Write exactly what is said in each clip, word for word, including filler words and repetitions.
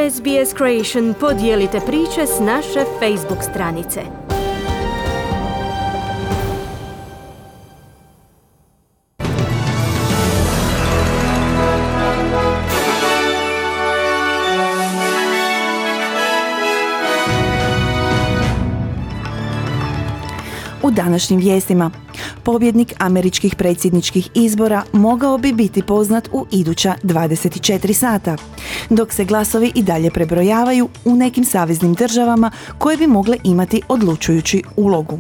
S B S Creation podijelite priče s naše Facebook stranice. U današnjim vijestima, pobjednik američkih predsjedničkih izbora mogao bi biti poznat u iduća dvadeset četiri sata, dok se glasovi i dalje prebrojavaju u nekim saveznim državama koje bi mogle imati odlučujući ulogu.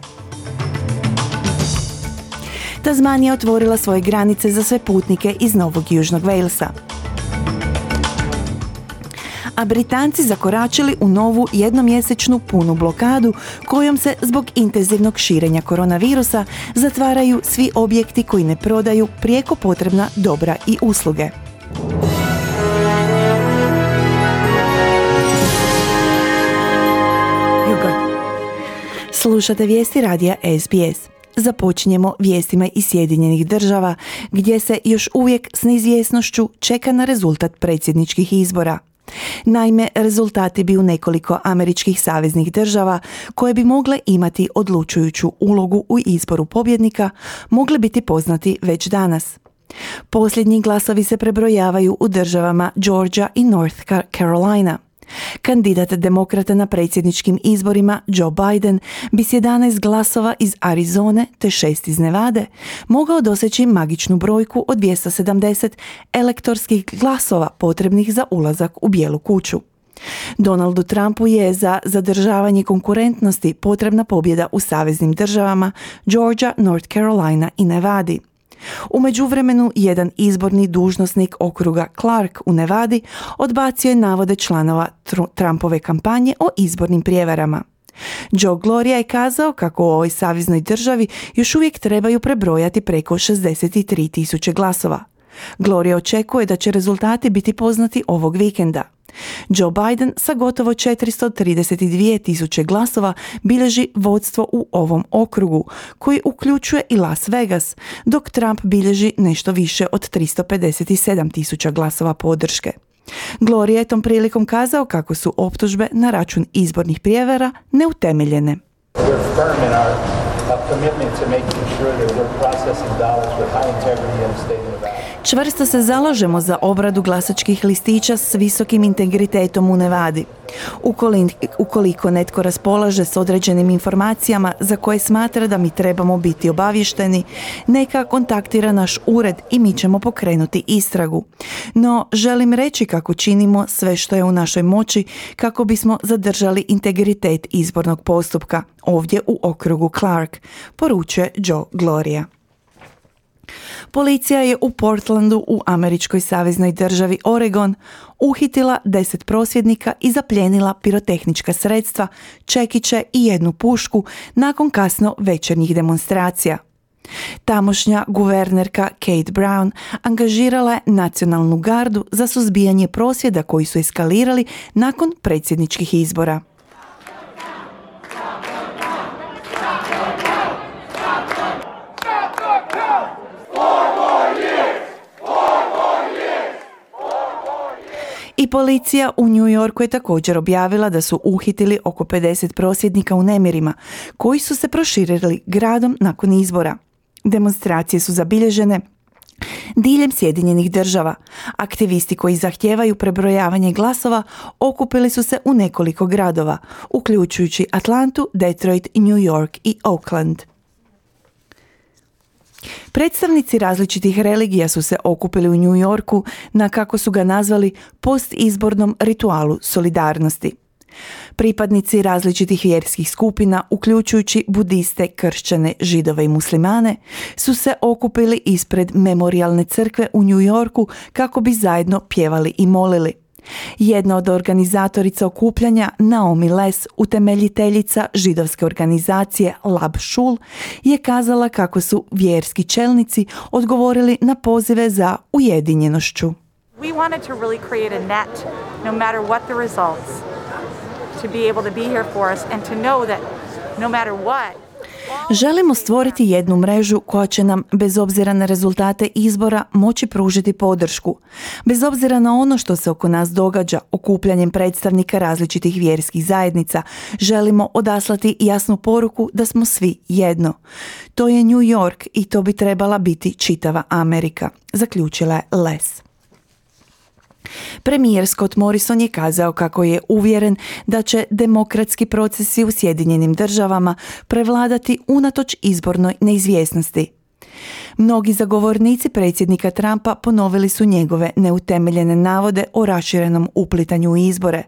Tasmanija otvorila svoje granice za sve putnike iz Novog Južnog Walesa. A Britanci zakoračili u novu jednomjesečnu punu blokadu kojom se zbog intenzivnog širenja koronavirusa zatvaraju svi objekti koji ne prodaju prijeko potrebna dobra i usluge. Slušate vijesti radija S B S. Započinjemo vijestima iz Sjedinjenih država, gdje se još uvijek s neizvjesnošću čeka na rezultat predsjedničkih izbora. Naime, rezultati bi u nekoliko američkih saveznih država, koje bi mogle imati odlučujuću ulogu u izboru pobjednika, mogli biti poznati već danas. Posljednji glasovi se prebrojavaju u državama Georgia i North Carolina. Kandidat demokrata na predsjedničkim izborima Joe Biden bi s jedanaest glasova iz Arizone te šest iz Nevade mogao doseći magičnu brojku od dvjesto sedamdeset elektorskih glasova potrebnih za ulazak u Bijelu kuću. Donaldu Trumpu je za zadržavanje konkurentnosti potrebna pobjeda u saveznim državama Georgia, North Carolina i Nevadi. U međuvremenu, jedan izborni dužnosnik okruga Clark u Nevadi odbacio je navode članova Trumpove kampanje o izbornim prijevarama. Joe Gloria je kazao kako u ovoj saveznoj državi još uvijek trebaju prebrojati preko šezdeset tri tisuće glasova. Gloria očekuje da će rezultati biti poznati ovog vikenda. Joe Biden sa gotovo četiristo trideset dvije tisuće glasova bilježi vodstvo u ovom okrugu, koji uključuje i Las Vegas, dok Trump bilježi nešto više od tristo pedeset sedam tisuća glasova podrške. Gloria je tom prilikom kazao kako su optužbe na račun izbornih prijevara neutemeljene. Čvrsto se zalažemo za obradu glasačkih listića s visokim integritetom u Nevadi. Ukoliko netko raspolaže s određenim informacijama za koje smatra da mi trebamo biti obavješteni, neka kontaktira naš ured i mi ćemo pokrenuti istragu. No, želim reći kako činimo sve što je u našoj moći kako bismo zadržali integritet izbornog postupka ovdje u okrugu Clark, poručuje Joe Gloria. Policija je u Portlandu u američkoj saveznoj državi Oregon uhitila deset prosvjednika i zaplijenila pirotehnička sredstva, čekiće i jednu pušku nakon kasno večernjih demonstracija. Tamošnja guvernerka Kate Brown angažirala je nacionalnu gardu za suzbijanje prosvjeda koji su eskalirali nakon predsjedničkih izbora. I policija u New Yorku je također objavila da su uhitili oko pedeset prosvjednika u nemirima, koji su se proširili gradom nakon izbora. Demonstracije su zabilježene diljem Sjedinjenih država. Aktivisti koji zahtijevaju prebrojavanje glasova okupili su se u nekoliko gradova, uključujući Atlantu, Detroit, New York i Oakland. Predstavnici različitih religija su se okupili u New Yorku na, kako su ga nazvali, postizbornom ritualu solidarnosti. Pripadnici različitih vjerskih skupina, uključujući budiste, kršćane, židove i muslimane, su se okupili ispred memorijalne crkve u New Yorku kako bi zajedno pjevali i molili. Jedna od organizatorica okupljanja, Naomi Les, utemeljiteljica židovske organizacije Lab Shul, je kazala kako su vjerski čelnici odgovorili na pozive za ujedinjenošću. We wanted to really create a net, no matter what the results, to be able to be here for us and to know that no matter what. Želimo stvoriti jednu mrežu koja će nam, bez obzira na rezultate izbora, moći pružiti podršku. Bez obzira na ono što se oko nas događa, okupljanjem predstavnika različitih vjerskih zajednica, želimo odaslati jasnu poruku da smo svi jedno. To je New York i to bi trebala biti čitava Amerika, zaključila je Les. Premijer Scott Morrison je kazao kako je uvjeren da će demokratski procesi u Sjedinjenim državama prevladati unatoč izbornoj neizvjesnosti. Mnogi zagovornici predsjednika Trumpa ponovili su njegove neutemeljene navode o raširenom uplitanju u izbore,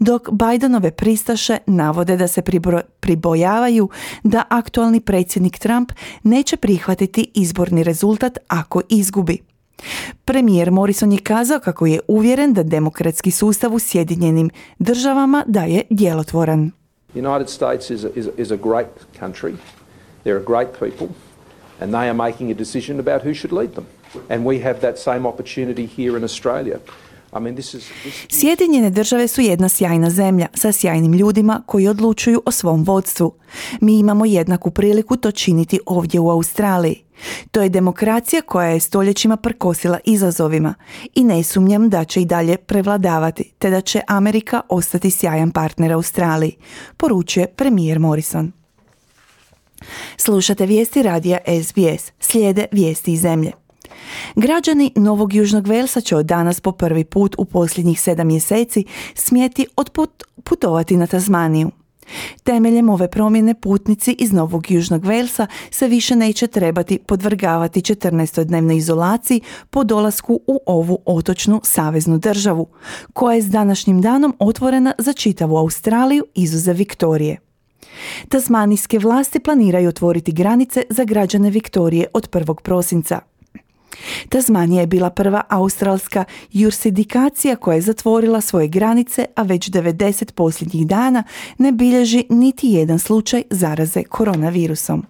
dok Bidenove pristaše navode da se pribro- pribojavaju da aktualni predsjednik Trump neće prihvatiti izborni rezultat ako izgubi. Premijer Morrison je kazao kako je uvjeren da demokratski sustav u Sjedinjenim državama da je djelotvoran. United States is a, is a, is a great country. They're a great people and they are making a decision about who should lead them. And we have that same opportunity here in Australia. I mean, this is, this is... Sjedinjene države su jedna sjajna zemlja sa sjajnim ljudima koji odlučuju o svom vodstvu. Mi imamo jednaku priliku to činiti ovdje u Australiji. To je demokracija koja je stoljećima prkosila izazovima i ne sumnjam da će i dalje prevladavati, te da će Amerika ostati sjajan partner Australiji, poručuje premijer Morrison. Slušate vijesti radija S B S, slijede vijesti iz zemlje. Građani Novog Južnog Velsa će od danas po prvi put u posljednjih sedam mjeseci smjeti otputovati na Tasmaniju. Temeljem ove promjene putnici iz Novog Južnog Velsa se više neće trebati podvrgavati četrnaestodnevnoj izolaciji po dolasku u ovu otočnu saveznu državu, koja je s današnjim danom otvorena za čitavu Australiju izuzev Viktorije. Tasmanijske vlasti planiraju otvoriti granice za građane Viktorije od prvog prosinca. Tasmanija je bila prva australska jurisdikcija koja je zatvorila svoje granice, a već devedeset posljednjih dana ne bilježi niti jedan slučaj zaraze koronavirusom.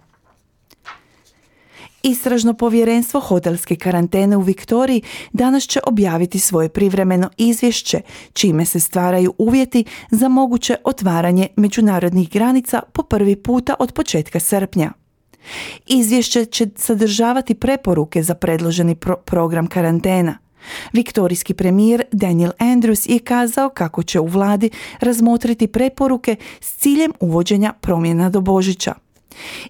Istražno povjerenstvo hotelske karantene u Viktoriji danas će objaviti svoje privremeno izvješće, čime se stvaraju uvjeti za moguće otvaranje međunarodnih granica po prvi puta od početka srpnja. Izvješće će sadržavati preporuke za predloženi pro- program karantena. Viktorijski premijer Daniel Andrews je kazao kako će u vladi razmotriti preporuke s ciljem uvođenja promjena do Božića.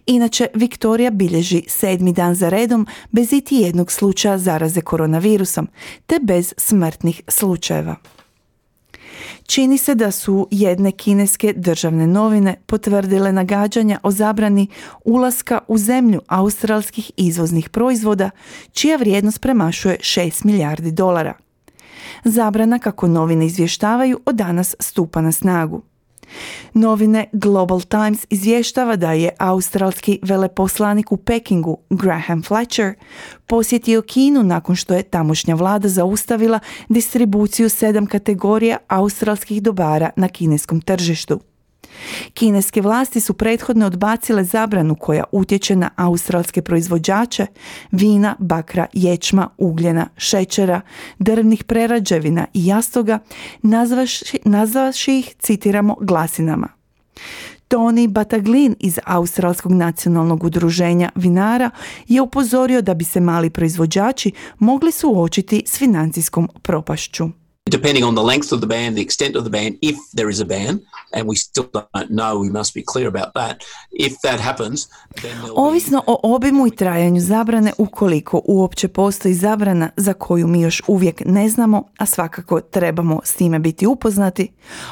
Inače, Viktorija bilježi sedmi dan za redom bez iti jednog slučaja zaraze koronavirusom, te bez smrtnih slučajeva. Čini se da su jedne kineske državne novine potvrdile nagađanja o zabrani ulaska u zemlju australskih izvoznih proizvoda, čija vrijednost premašuje šest milijardi dolara. Zabrana, kako novine izvještavaju, od danas stupa na snagu. Novine Global Times izvještava da je australski veleposlanik u Pekingu Graham Fletcher posjetio Kinu nakon što je tamošnja vlada zaustavila distribuciju sedam kategorija australskih dobara na kineskom tržištu. Kineske vlasti su prethodno odbacile zabranu koja utječe na australske proizvođače vina, bakra, ječma, ugljena, šećera, drvnih prerađevina i jastoga, nazvaši, nazvaši ih, citiramo, glasinama. Tony Bataglin iz Australskog nacionalnog udruženja vinara je upozorio da bi se mali proizvođači mogli suočiti s financijskom propašću. Depending on the length of the ban, the extent of the ban, if there is a ban, and we still don't know, we must be clear about that. If that happens, then Ovisno o obimu i trajanju zabrane, ukoliko uopće postoji zabrana za koju mi još uvijek ne znamo, a svakako trebamo s time biti upoznati,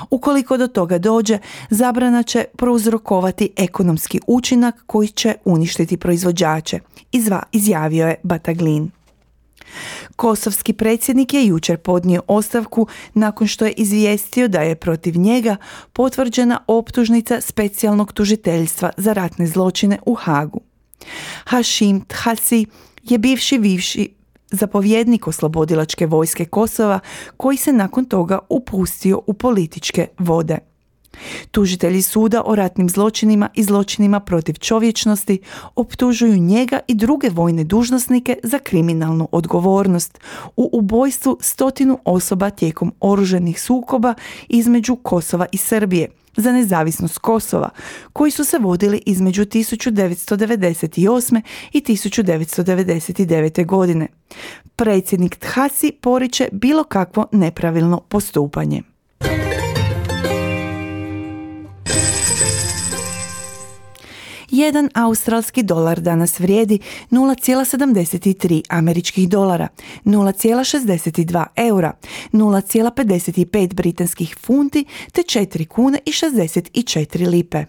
ukoliko do toga dođe, zabrana će prouzrokovati ekonomski učinak koji će uništiti proizvođače, izva, izjavio je Bataglin. Kosovski predsjednik je jučer podnio ostavku nakon što je izvijestio da je protiv njega potvrđena optužnica specijalnog tužiteljstva za ratne zločine u Hagu. Hašim Thasi je bivši bivši zapovjednik oslobodilačke vojske Kosova koji se nakon toga upustio u političke vode. Tužitelji suda o ratnim zločinima i zločinima protiv čovječnosti optužuju njega i druge vojne dužnosnike za kriminalnu odgovornost u ubojstvu stotinu osoba tijekom oružanih sukoba između Kosova i Srbije za nezavisnost Kosova, koji su se vodili između tisuću devetsto devedeset osme i tisuću devetsto devedeset devete. godine. Predsjednik Thasi poriče bilo kakvo nepravilno postupanje. Jedan australski dolar danas vrijedi nula zarez sedamdeset tri američkih dolara, nula zarez šezdeset dva eura, nula zarez pedeset pet britanskih funti te četiri kune i šezdeset četiri lipe.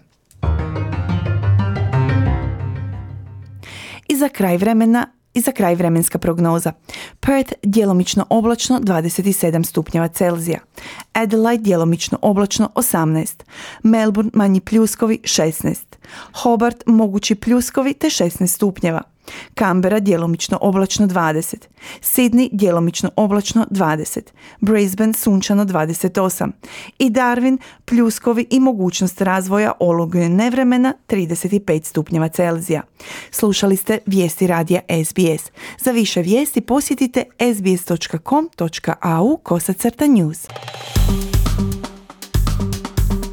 I za kraj vremena I za kraj vremenska prognoza. Perth djelomično oblačno dvadeset sedam stupnjeva Celzija. Adelaide djelomično oblačno osamnaest. Melbourne manji pljuskovi šesnaest. Hobart mogući pljuskovi te šesnaest stupnjeva. Canberra djelomično oblačno dvadeset. Sydney djelomično oblačno dvadeset. Brisbane sunčano dvadeset osam. I Darwin pljuskovi i mogućnost razvoja olujnog nevremena trideset pet stupnjeva Celzija. Slušali ste vijesti radija S B S. Za više vijesti posjetite s b s dot com dot a u kosacrta news.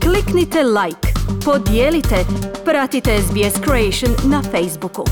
Kliknite like, podijelite, pratite S B S Creation na Facebooku.